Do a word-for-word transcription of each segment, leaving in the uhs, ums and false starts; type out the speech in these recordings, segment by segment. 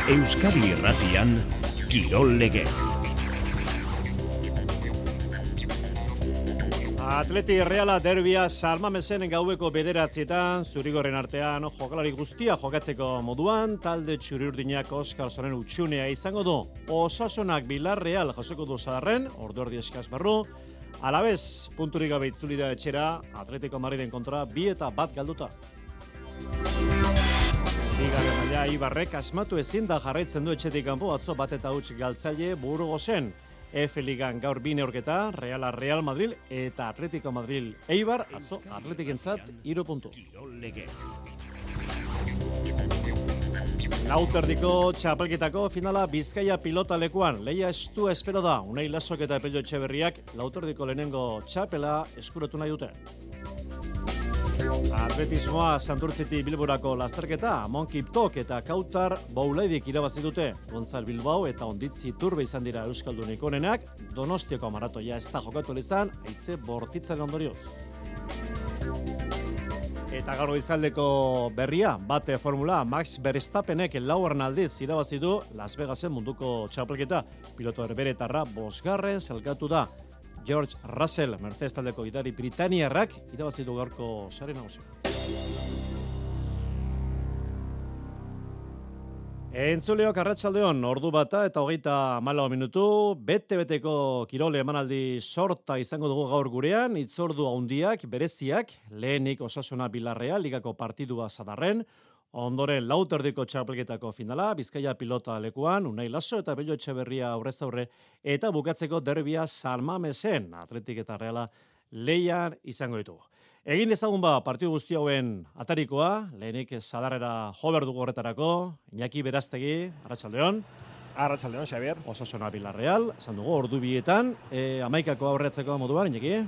Euskadi Irratian Kirol Legez. Atleti Reala derbia San Mamesen gaueko bederatzietan, zurigorren artean jokalari guztia jokatzeko moduan, talde txuri-urdinak Oskarsonen utxunea izango du. Osasunak Villarreal jasoko du Sadarren, ordu erdi eskaz barru, alabez punturik gabe itzuli da etxera, Atletico Madriden kontra bi eta bat galduta. Bigarren maila Ibarrek asmatu ezin da jarraitzen du etxetik kanpo atzo bat eta huts galtzaile Burgosen. F Ligan gaur bi neurketa, Reala Real Madrid eta Atletico Madrid Eibar, atzo Atletikentzat hiru puntu. Lauterdiko txapelketako finala Bizkaia pilota lekuan, leia estua espero da, Unai Lasok eta Pello Etxeberriak Lauterdiko lehenengo txapela eskuratu nahi dute. Atletismoa Santurtziti Bilborako lasterketa, Monkiptok eta Kautar Boulaidik irabazi dute. Gonzal Bilbao eta Onditzi Turbe izan dira Euskaldunik onenak, Donostiako maratoia ez da jokatu izan, haize bortitzaren ondorioz. Eta gaur goizaldeko berria, bate formula, Max Verstappenek laugarren aldiz irabazi du Las Vegasen munduko txapelketa. Piloto herberetarra bosgarren zelkatu da. George Russell, Mercedes taldeko gidari Britaniarrak, irabazi du gaurko sare nagusia. Entzuleok arratsaldeon, ordu bata eta hogeita hamalau minutu, bete-beteko kirole emanaldi sorta izango dugu gaur gurean, hitzordu handiak, bereziak, lehenik Osasuna Villarreal, ligako partidua Sadarren, ondoren Lauterdiko txapelketako finala, Bizkaia pilota lekuan, Unai Laso eta Pello Etxeberria aurrez aurre, eta bukatzeko derbia San Mamesen, Atletik eta Reala leian izango ditugu. Egin ezagun ba partidu guzti hauen atarikoa, lehenik Sadarrera jo behar dugu horretarako, Iñaki Beraztegi, arratsaldeon. Arratsaldeon, Xabier. Osasuna Villarreal, esan dugu, ordu bietan, e, amaikako aurreatzeko moduan, Iñaki?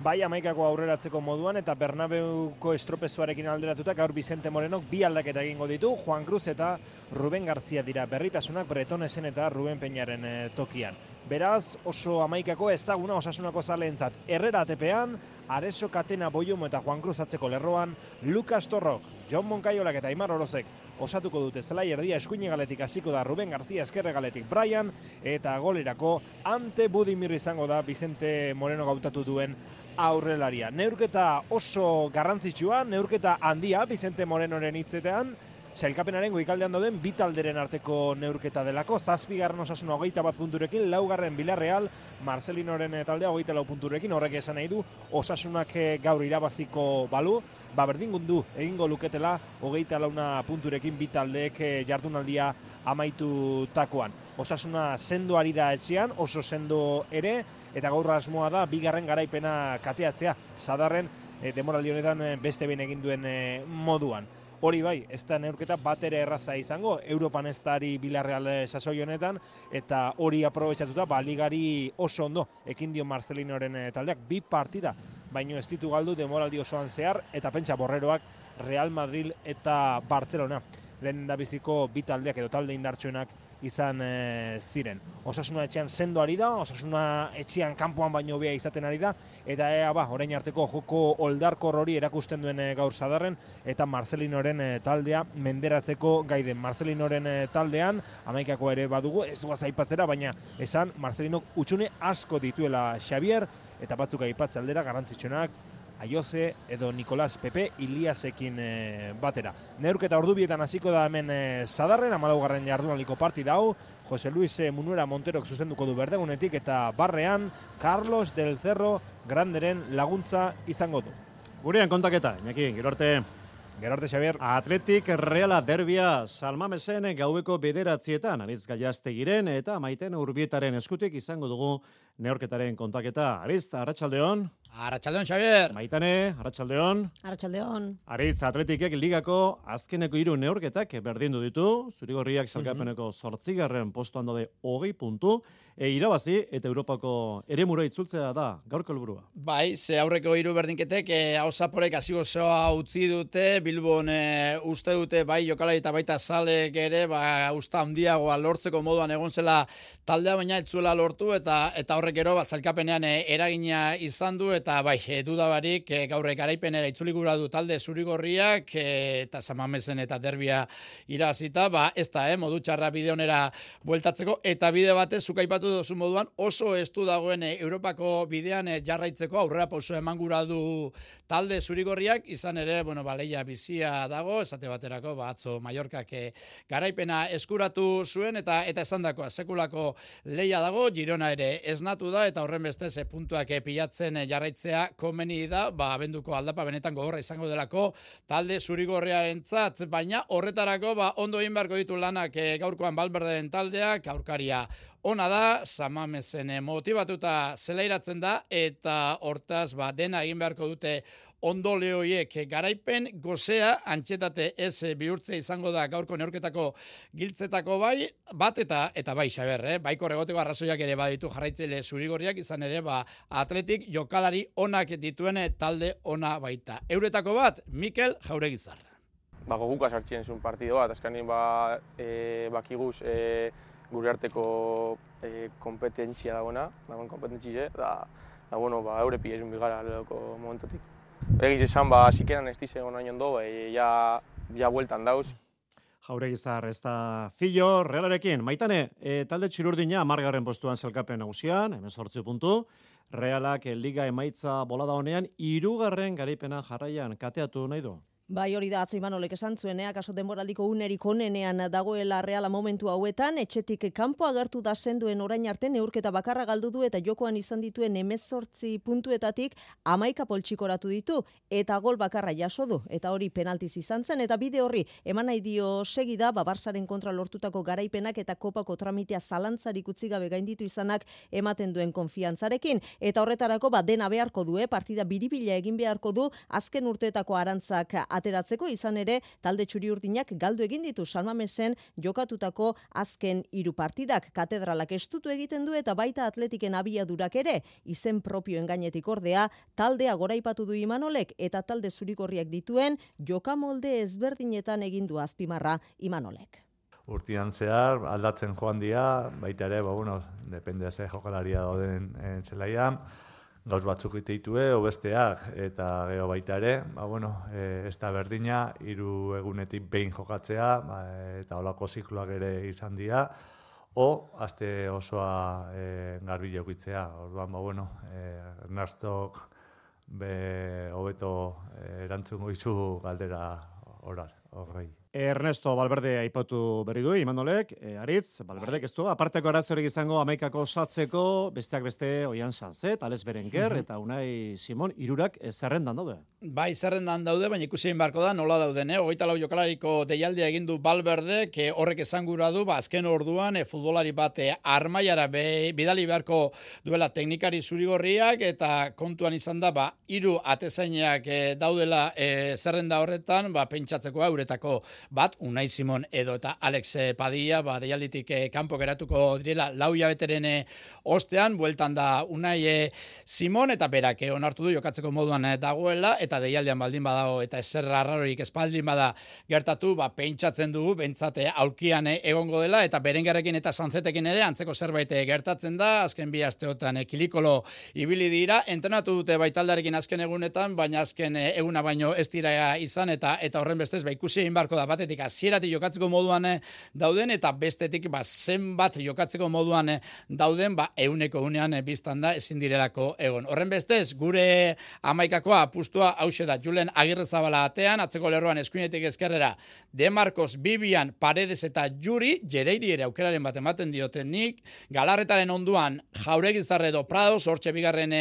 Bai, amaikako aurreratzeko moduan eta Bernabeuko estropezuarekin alderatuta gaur Vicente Morenok bi aldaketa egingo ditu, Juan Cruz eta Ruben García dira berritasunak Bretonesen eta Ruben Peñaren e, tokian. Beraz, oso amaikako ezaguna Osasunako zaleentzat. Herrera atepean, Areso Katena Boiomo eta Juan Cruz atzeko lerroan, Lucas Torrok, Jon Moncaiolak eta Aimar Orozek osatuko dute zelai erdia, eskuine galetik hasiko da Ruben García, eskerre galetik Brian, eta golerako Ante Budimir izango da Vicente Moreno gautatu duen aurrelaria. Neurketa oso garrantzitsua, neurketa handia Vicente Morenoren hitzetean, sailkapenaren goikaldean dauden bi talderen arteko neurketa delako, zazpigarren Osasuna hogeita bat punturekin, laugarren Villarreal, Marcelinoren taldea hogeita lau punturekin, horrek esan nahi du, Osasunak gaur irabaziko balu, ba berdingundu egingo luketela hogeita launa punturekin bi taldeek jardunaldia amaitutakoan. Osasuna sendo ari da etxean, oso sendo ere, eta gaur asmoa da bigarren garaipena kateatzea, Sadarren e, demoraldi honetan beste behin egin duen e, moduan. Hori bai, ez da neurketa bat ere erraza izango, Europan ez da ari Villarreal sasoi honetan, eta hori aprobetxatuta, ba, ligari oso ondo, ekin dio Marcelinoren taldeak, bi partida, baino ez ditu galdu demoraldi osoan zehar, eta pentsa borreroak Real Madrid eta Barcelona. Lehen da biziko bi taldeak edo talde indartsuenak izan e, ziren. Osasuna etxean sendo ari da, Osasuna etxean kanpoan baino hobea izaten ari da, eta ea ba, orain arteko joko oldarkor hori erakusten duen e, gaur Sadarren, eta Marcelinoren e, taldea menderatzeko gaiden. Marcelinoren e, taldean, amaikako ere badugu, ez guaz aipatzera, baina esan Marcelinok utxune asko dituela Xavier, eta batzuk aipatze aldera garrantzitsuenak, Aioze edo Nicolas Pepe Iliasekin e, batera. Neurketa ordubietan hasiko da hemen e, Sadarren, hamalaugarren jardunaliko partida hau, Jose Luis e, Munuera Monterok zuzenduko du berdegunetik, eta barrean Carlos del Cerro Granderen laguntza izango du. Gurean kontaketa, Iñaki, gero arte. Gero arte, Xabier. Atletik Reala derbia San Mamesen gaueko bederatzietan, Aritz Gallaztegiren eta Maiten Urbietaren eskutik izango dugu neorketaren kontaketa. Aritz, arratsaldeon. Arratsaldeon, Xabier. Maitane, arratsaldeon. Arratsaldeon. Aritz, Atletikek ligako azkeneko hiru neurketak berdindu ditu, Zurigorriak sailkapeneko zortzigarren postuan daude hogei puntu, e, irabazi eta Europako eremura itzultzea da gaurko helburua. Bai, ze aurreko hiru berdinketek e, Ausaporek hasi gozoa utzi dute, Bilbon e, uste dute bai jokalari eta baita zalek ere, ba usta handiagoa lortzeko moduan egon zela taldea, baina ez zuela lortu eta eta horrek gero ba, zailkapenean eragina izan du, eta bai, dudabarik gaur garaipenera itzuli gura du talde zurigorriak, eta Samamesen eta derbia irazita, ba, ez da, eh, modu txarra bide honera bueltatzeko, eta bide batez, zukaipatu duzu moduan, oso estu dagoen Europako bidean jarraitzeko, aurrera pauso eman gura du talde zurigorriak, izan ere, bueno, ba, leia bizia dago, esate baterako, ba, atzo Mallorcak garaipena eskuratu zuen, eta eta esan dako, sekulako leia dago, Girona ere esnatu da, eta horren beste ze puntuak pilatzen jarraitzea komeni da, ba, abenduko aldapa benetan gogorra izango delako talde zurigorriarentzat, baina horretarako ba, ondo egin beharko ditu lanak e, gaurkoan Valverderen taldeak, aurkaria ona da, Samamesen motivatuta zelairatzen da, eta hortaz ba, dena egin beharko dute ondo lehoiek garaipen gozea antxetate ez bihurtze izango da gaurko neurketako giltzetako bai, bat eta eta bai Xaber, eh? Baiko regoteko arrazoiak ere baditu jarraitzaile zurigorriak, izan ere ba, atletik jokalari onak dituen talde ona baita. Euretako bat, Mikel Jauregizar. Ba, goguka sartxien zuen partido bat, azkanin ba, e, bakiguz e, gure arteko e, kompetentzia dagoena, dagoen kompetentzize, da, da bueno, ba, eure pilezun bigara lehoko momentotik. Egiz esan, ba, zikenan ez dize gonain ondo, ba, ja, ja bueltan dauz. Jauregizar ez da fillo, Realarekin. Maitane, e, talde txirurdina amargarren postuan zelkapen nagusian, hemezortzi puntu. Realak liga emaitza bolada honean, hirugarren garaipena jarraian kateatu nahi du. Bai, hori da, atzo Imanolek esan zuen, eh? Akaso denboraldiko unerik onenean dagoela Reala momentu hauetan, etxetik kanpo agertu da senduen orain arte neurketa bakarra galdu du eta jokoan izan dituen hemezortzi puntuetatik hamaika poltsikoratu ditu eta gol bakarra jaso du, eta hori penaltiz izan zen, eta bide horri eman nahi dio segida, ba, Barsaren kontra lortutako garaipenak eta kopako tramitea zalantzarik utzi gabe gainditu izanak ematen duen konfiantzarekin, eta horretarako ba, dena beharko du, eh? Partida biribila egin beharko du, azken urteetako arantzak ateratzeko, izan ere talde txuri-urdinak galdu egin ditu Samamesen jokatutako azken hiru partidak. Katedralak estutu egiten du eta baita atletiken abiadurak ere, izen propioen gainetik ordea, taldea goraipatu du Imanolek eta talde zurigorriak dituen jokamolde ezberdinetan egin du azpimarra Imanolek. Urtean zehar aldatzen joan dira, baita ere, ba, bueno, depende ze jokalaria dauden zelaian, gauz batzuk ditue, obesteak, eta gero baita ere, ba, bueno, e, ez da berdina, hiru egunetik behin jokatzea, ba, eta holako zikloak ere izan dira, o, aste osoa e, garbi jokitzea. Orduan, ba, bueno, e, Ernastok be hobeto e, erantzungo dizu galdera orar, horrei. Ernesto Valverde aipatu berri du, Imanolek, e, Aritz, Valverdek ez du, aparteko arazorik izango amaikako osatzeko, besteak beste Oian Sanzet, Alex Berenguer, eta Unai Simon, hirurak zerrendan daude. Bai, zerrendan daude, baina ikusi egin beharko da, nola dauden, eh? Hogeita lau jokalariko deialdia egin du Valverde, que horrek esan gura du, ba, azken orduan, e, futbolari bat e, armaiara be, bidali beharko duela teknikari zurigorriak, eta kontuan izan da, ba, hiru atezainak e, daudela e, zerrenda horretan, ba, pentsatzeko euretako bat, Unai Simon edo eta Alex Padilla, ba, deialditik eh, kanpo geratuko direla lau hilabeteren eh, ostean, bueltan da Unai eh, Simon, eta berak eh, onartu du jokatzeko moduan eh, dagoela, eta deialdian baldin badago, eta ezer arrarorik espaldin bada gertatu, ba, pentsatzen dugu, bentsate aulkian eh, egongo dela, eta Berengerrekin eta Sanzetekin ere, antzeko zerbait eh, gertatzen da, azken bi asteotan eh, kilikolo ibili dira, entrenatu dute baitaldarekin azken egunetan, baina azken eh, eguna baino ez dira izan, eta eta horren bestez, ba, ikusi egin barko da, batetik hasieratik jokatzeko moduan dauden, eta bestetik ba, zenbat jokatzeko moduan dauden, ba, euneko unean biztan da ezin direlako egon. Horren bestez, gure amaikakoa apustua hause da Julen Agirrezabala atean, atzeko lerroan eskuinetik ezkerrera De Marcos, Bibian, Paredes eta Juri, Jereiri ere aukeraren bat ematen diotenik, Galarretaren onduan Jauregizar edo Prados, hortxe bigarren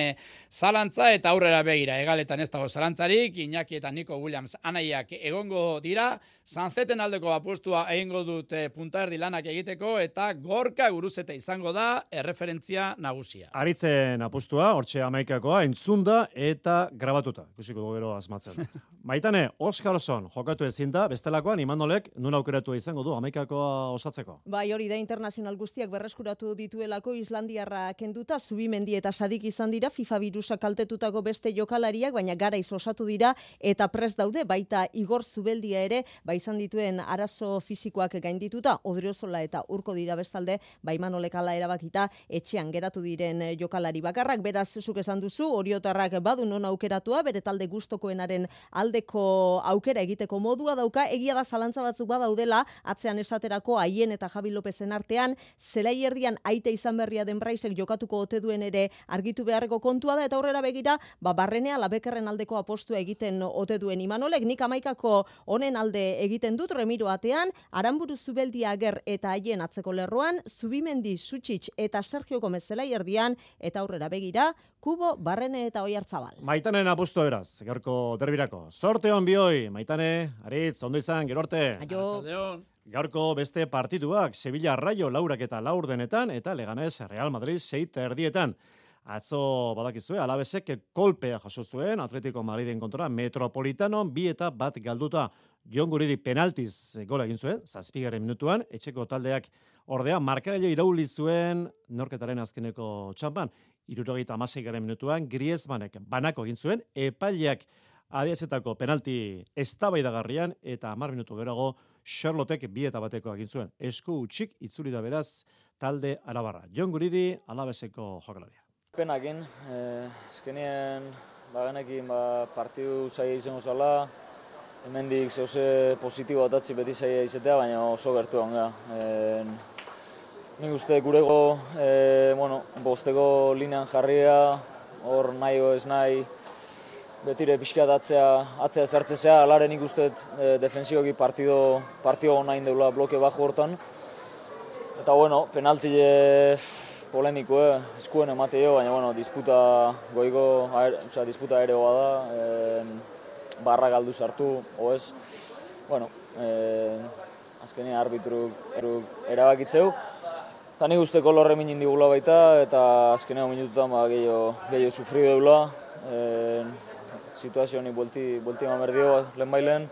zalantza, eta aurrera begira, egaletan ez dago zalantzarik, Iñaki eta Nico Williams anaiak egongo dira, Sanzeten aldeko apustua egingo dute puntaerdi lanak egiteko, eta Gorka Guruzete izango da erreferentzia nagusia. Aritzen apustua, hortxe amaikakoa, entzunda eta grabatuta. Ikusiko dugu gero asmatzen. Maitane, Oskarson jokatu ezin da, bestelakoan Imanolek nun aukeratu izango du amaikakoa osatzeko. Bai, hori da internazional guztiak berreskuratu dituelako Islandiarra kenduta, Zubimendi eta Sadik izan dira, FIFA virusa kaltetutako beste jokalariak, baina garaiz osatu dira, eta prest daude, baita Igor Zubeldia ere, ba izan izan dituen arazo fisikoak gaindituta, Odriozola eta Urko dira bestalde, ba Imanolek hala erabakita etxean geratu diren jokalari bakarrak. Beraz, zuk esan duzu, oriotarrak badu non aukeratua, bere talde gustokoenaren aldeko aukera egiteko modua dauka, egia da zalantza batzuk badaudela, atzean esaterako Aien eta Javi Lopezen artean, zelai erdian aite izan berria den Braisek jokatuko ote duen ere argitu beharreko kontua da, eta aurrera begira, ba Barrenea Labekerren aldeko apostua egiten ote duen Imanolek, nik amaikako honen alde egiten dut, Remiro atean, Aranburu Zubeldia Ager eta Aien atzeko lerroan, Zubimendi Sutsic eta Sergio Gomez zelai erdian, eta aurrera begira, Kubo, Barrene eta Oiartzabal. Maitanen apustu beraz, gaurko derbirako. Sorte hon bioi, Maitane, Aritz, ondo izan, gero arte. Aio. Gaurko beste partituak, Sevilla Rayo laurak eta laurdenetan, eta Leganés Real Madrid seit erdietan. Atzo badakizue, Alabesek kolpea jaso zuen, Atletico Madriden kontra, Metropolitano bi eta bat galduta. Jon Guridi penaltiz gola egin zuen, zazpigaren minutuan, etxeko taldeak ordea, markagailo irauli zuen norketaren azkeneko txampan, irurogeita hamaseigarren minutuan, Griezmannek banako egin zuen, epaileak adiazetako penalti eztabaidagarrian eta hamar minutu geroago Charlottek bi eta bateko egin zuen. Esku utxik itzuli da beraz talde arabarra. Jon Guridi, Alabeseko jokalaria. Penakin, eh, ezkenien bagenekin ba, partidu zaila izango zala, hemendik zehose positibo atatzi beti zaila izatea, baina oso gertu onga. Eh, nik uste gurego eh, bueno, bosteko linean jarria, hor nahi o ez nahi, betire pixkat atzea, atzea zertzea, alare nik uste e, defensiboki partido, partido gona indeula bloke bajo hortan. Eta bueno, penaltile polemiko, eh, eskuen emate jo, baina bueno, disputa goiko, aer, oza, disputa aereoa da, e, barra galdu sartu, oez. Bueno, e, azkenean arbitruk erabakitzeu. Eta nik uste kolorre minin digula baita, eta azkenean minututan ba, gehiago, gehiago sufri deula. E, situazio honi buelti, buelti eman berdio lehen bailen.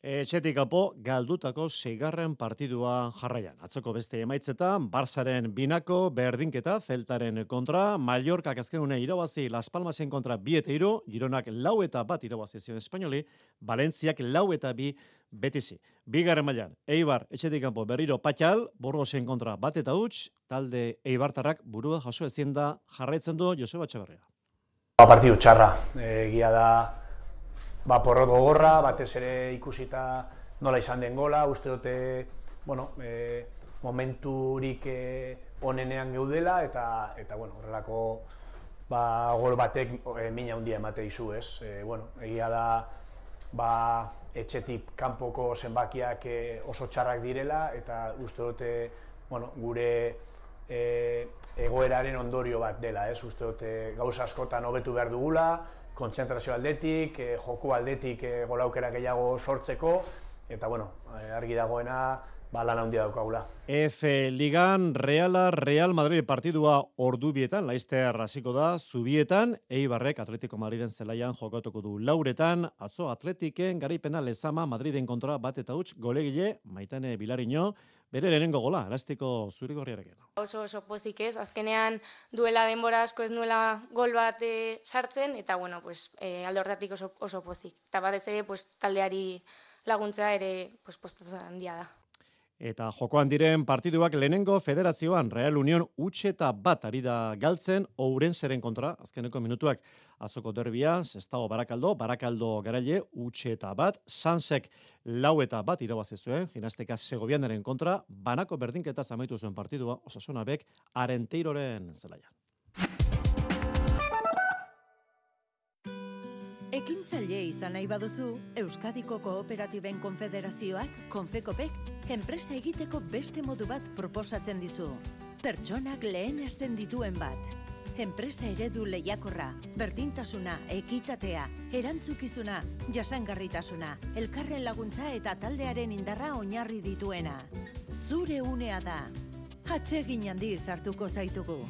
Etxetik kanpo galdutako seigarren partidua jarraian. Atzoko beste emaitzetan, Barsaren binako berdinketa, Celtaren kontra, Mallorcak azkenune irabazi Las Palmasen kontra bi eta hiru, Gironak lau eta bat irabazi zion Espainoli, Valentziak lau eta bi betizi. Bigarren mailan, Eibar etxetik kanpo berriro Patxal, Burgosen kontra bat eta huts, talde Eibartarrak burua jaso ezin da jarraitzen du Joseba Etxeberria. Partidu txarra, egia da ba, porrot gogorra, batez ere ikusita nola izan den gola, uste dute bueno, e, momenturik e, onenean geudela, eta, eta bueno, horrelako ba, gol batek e, mina handia emate dizu, ez? E, bueno, egia da ba, etxetik kanpoko zenbakiak e, oso txarrak direla, eta uste dute bueno, gure E, egoeraren ondorio bat dela, ez? Uste dute gauza askotan hobetu behar dugula, kontzentrazio aldetik, e, joko aldetik e, golaukera gehiago sortzeko, eta bueno, argi dagoena ba, lan handia daukagula. F Ligan, Reala, Real Madrid partidua ordu bietan, Laizter hasiko da, Zubietan, Eibarrek Atletico Madriden zelaian jokatuko du lauretan, atzo Atletiken garaipena lezama Madriden kontra bat eta huts, golegile, Maitane Bilariño, bere lehenengo gola, elastiko zurigorriarekin. Oso oso pozik ez, azkenean duela denbora asko ez nuela gol bat e, sartzen, eta bueno, pues, e, alde horretatik oso, oso pozik. Eta batez ere, pues, taldeari laguntzea ere pues, postatzen handia da. Eta jokoan diren partiduak lehenengo federazioan Real Union utxeta bat ari da galtzen Ourenseren kontra, azkeneko minutuak atzoko derbia, Sestao Barakaldo, Barakaldo garaile utxeta bat, Sansek lau eta bat irabazi zuen, Ginasteka Segovianaren kontra, banako berdinketa amaitu zuen partidua, Osasuna Bek Arenteiroren zelaian. Ekintzaile izan nahi baduzu, Euskadiko Kooperatiben Konfederazioak, Konfekopek, enpresa egiteko beste modu bat proposatzen dizu. Pertsonak lehenesten dituen bat. Enpresa eredu lehiakorra, berdintasuna, ekitatea, erantzukizuna, jasangarritasuna, elkarren laguntza eta taldearen indarra oinarri dituena. Zure unea da. Atsegin handiz hartuko zaitugu.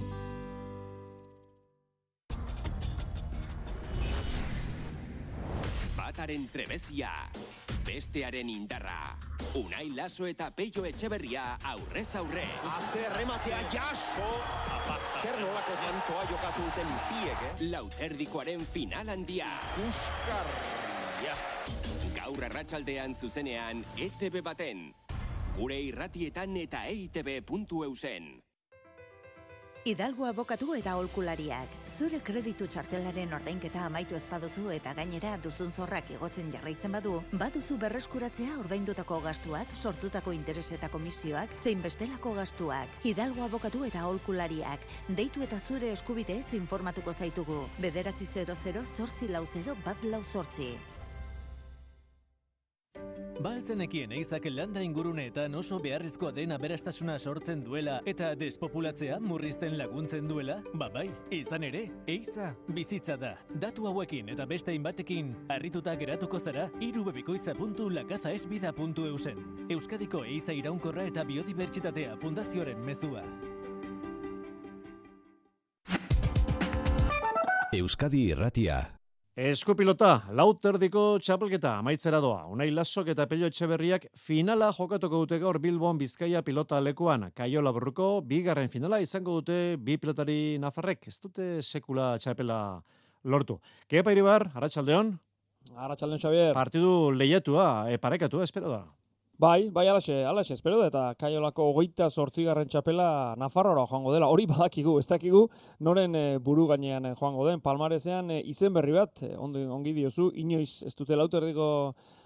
Bataren trebezia, bestearen indarra. Unai Laso eta Peio Etxeberria aurrez aurre. Aze rematea jaso. Zer nolako tantoa jokatu duten piek, eh? Lauterdikoaren final handia. Uskar. Ja. Gaur gaur arratsaldean zuzenean E T B baten. Gure irratietan eta E I T B puntu eusen. Hidalgo abokatu eta aholkulariak. Zure kreditu txartelaren ordainketa amaitu ezpaduzu eta gainera duzun zorrak igotzen jarraitzen badu, baduzu berreskuratzea ordaindutako gastuak, sortutako interes eta komisioak, zein bestelako gastuak. Hidalgo abokatu eta aholkulariak. Deitu eta zure eskubideez informatuko zaitugu. Bederatzi zero zero zortzi lau zero bat lau zortzi. Baltzenekien eizak landa inguruneetan oso beharrizkoa den aberastasuna sortzen duela eta despopulatzea murrizten laguntzen duela? Babai, izan ere, eiza bizitza da. Datu hauekin eta beste hainbatekin harrituta geratuko zara irubebikoitza puntu lakazaesbida puntu eusen. Euskadiko eiza iraunkorra eta biodibertsitatea fundazioaren mezua. Euskadi Irratia. Eskupilota, lauterdiko txapelketa amaitzera doa. Unai Lasok eta Pello Etxeberriak finala jokatuko dute gaur Bilbon Bizkaia pilota lekuan. Kaiola Burruko bigarren finala izango dute bi pilotari nafarrek. Ez dute sekula txapela lortu. Kepa Iribar, arratsaldeon. Arratsaldeon, Xavier. Partidu lehiatua, e, parekatua, espero da. Bai, bai, alaxe, alaxe, espero da, eta Kaiolako hogeita zortzigarren txapela Nafarroa joango dela, hori badakigu, ez dakigu, noren e, buru gainean e, joango den, Palmarezean e, izen berri bat, e, ondo, ongi diozu, inoiz ez dute lauterdiko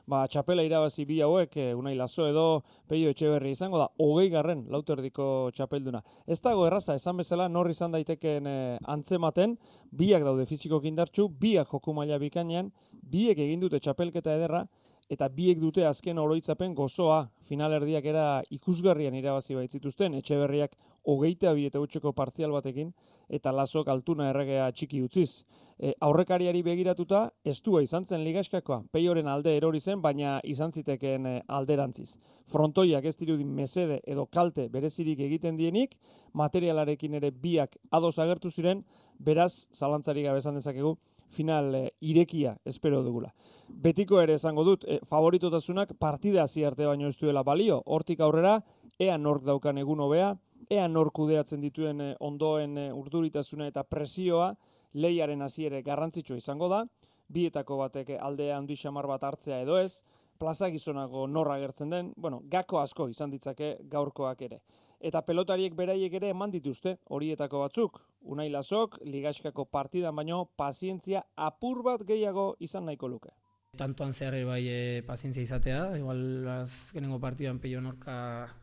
ba, txapela irabazi bi hauek, e, Unai Laso edo Pello Etxeberri izango da, hogei garren lauterdiko txapelduna. Ez dago erraza, esan bezala, nor izan daiteken e, antzematen, biak daude fizikoki indartsu, biak joku maila bikainean, biek egin dute txapelketa ederra, eta biek dute azken oroitzapen gozoa, finalerdiak era ikusgarrian irabazi baitzituzten, Etxeberriak hogeita bi eta utxeko partzial batekin, eta Lasok altuna erregea txiki utziz. E, aurrekariari begiratuta, estua izan zen ligaxkakoa, Peioren alde erori zen, baina izan zitekeen e, alderantziz. Frontoiak ez dirudin mesede edo kalte berezirik egiten dienik, materialarekin ere biak ados agertu ziren, beraz, zalantzari gabe esan dezakegu, final e, irekia espero dugula. Betiko ere esango dut, e, favoritotasunak partida hasi arte baino ez duela balio. Hortik aurrera, ea nork daukan egun hobea, ea nork kudeatzen dituen e, ondoen e, urduritasuna eta presioa, lehiaren hasiere garrantzitsua izango da, bietako batek aldea handi xamar bat hartzea edo ez, plaza gizonako norra agertzen den, bueno, gako asko izan ditzake gaurkoak ere. Eta pelotariek beraiek ere eman dituzte, horietako batzuk. Unai Lasok, ligaxkako partidan baino, pazientzia apur bat gehiago izan nahiko luke. Tantoan zehar bai e, pazientzia izatea, igual azkenengo partidan Pello norka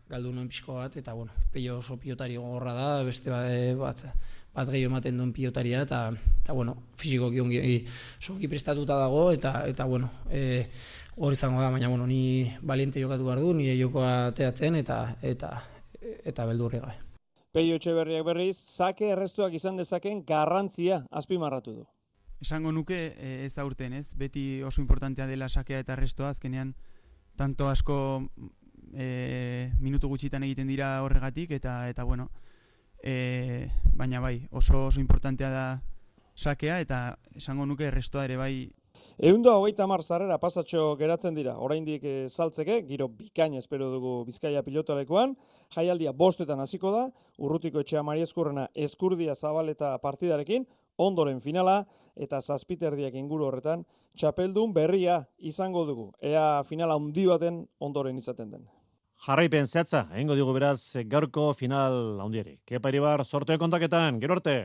galdu nuen pixko bat, eta bueno, Pello oso pilotari gogorra da, beste bat, bat gehiago ematen duen pilotaria, eta, eta bueno, fizikoki ongi, ongi prestatuta dago, eta, eta bueno, e, hor izango da, baina bueno, ni valiente jokatu behar du, nire jokoa teatzen, eta, eta eta beldurri gabe. Pello Etxeberriak berriz, zake errestuak izan dezaken garrantzia azpimarratu du. Esango nuke ez aurten, ez? Beti oso importantea dela sakea eta errestoa, azkenean tanto asko e, minutu gutxitan egiten dira horregatik, eta eta bueno, e, baina bai, oso oso importantea da sakea, eta esango nuke errestoa ere bai. Ehunda hogeita hamar sarrera pasatxo geratzen dira, oraindik e, saltzeke, giro bikaina espero dugu Bizkaia pilotalekoan, jaialdia bostetan hasiko da, Urrutiko Etxea Mari Eskurrena Eskurdia Zabaleta partidarekin, ondoren finala, eta zazpiterdiak inguru horretan, txapeldun berria izango dugu, ea finala handi baten ondoren izaten den. Jarraipen zehatza, egingo digu beraz gaurko final handiari. Kepa Iribar, sorteo kontaketan, gero arte!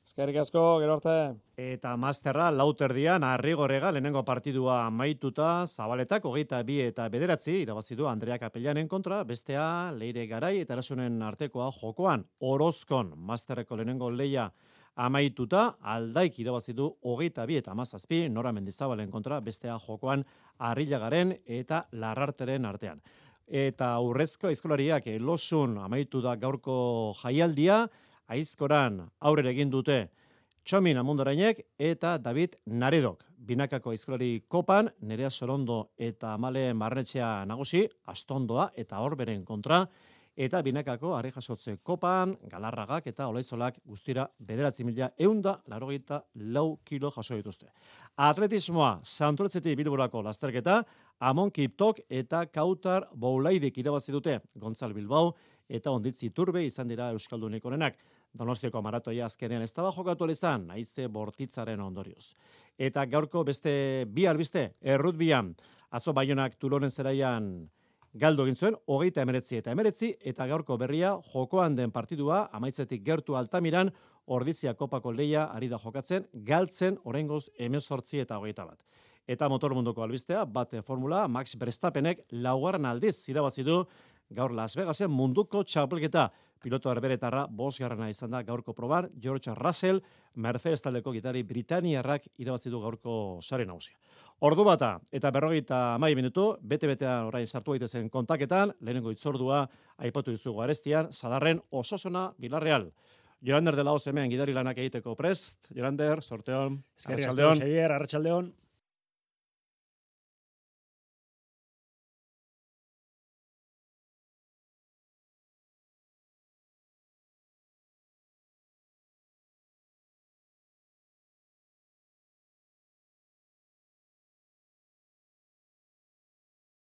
Eskerrik asko, gero arte. Eta masterra lauterdian Arrigorrega lehenengo partidua maituta, Zabaletak hogeita bi eta bederatzi irabazi du Andrea Kapellanen kontra, bestea Leire Garai eta Erasunen artekoa jokoan Orozkon masterreko lehenengo leia amaituta, Aldaik irabazi du hogeita bi eta hamazazpi Nora Mendizabalen kontra, bestea jokoan Arrilagaren eta Larrarteren artean. Eta Urrezko aizkolariak Losun amaitu da gaurko jaialdia, Aizkoran aurrera egin dute Txomin Amundorainek eta David Naredok. Binakako aizkolari kopan, Nerea Sorondo eta Amale Marretxea nagusi, Astondoa eta Horberen kontra, eta binakako Ari Jasotze kopan, Galarragak eta Olaizolak guztira bederatzi mila eunda larogeita lau kilo jaso dituzte. Atletismoa, Santurtzetik Bilborako lasterketa, Amon Kiptok eta Kautar Boulaidik irabazi dute, Gontzal Bilbao eta Onditzi Turbe izan dira Euskaldunik onenak. Donostiako maratoia azkenean ez daba jokatu izan, naize bortitzaren ondorioz. Eta gaurko beste bi albiste, errutbian, Atzo Baionak Tulonen zelaian galdu egin zuen, hogeita emeretzi eta emeretzi, eta gaurko berria jokoan den partidua, amaitzetik gertu Altamiran, Ordizia Kopako leia ari da jokatzen, galtzen oraingoz hemezortzi eta hogeita bat. Eta motor munduko albistea, bate formula, Max Verstappenek laugarren aldiz irabazi du gaur Las Vegasen munduko txapelketa. Piloto herberetarra bosgarrena izan da gaurko proban, George Russell, Mercedes taldeko gitari Britaniarrak irabazi du gaurko sare nagusia. Ordu bata eta berrogeita hamar minutu, bete-betean orain sartu daitezen kontaketan, lehenengo itzordua aipatu dizugu arestian, Sadarren Osasuna Villarreal. Jorander de la Hoz hemen gidari lanak egiteko prest. Jorander, sorteon, arratsaldeon. Arratsaldeon.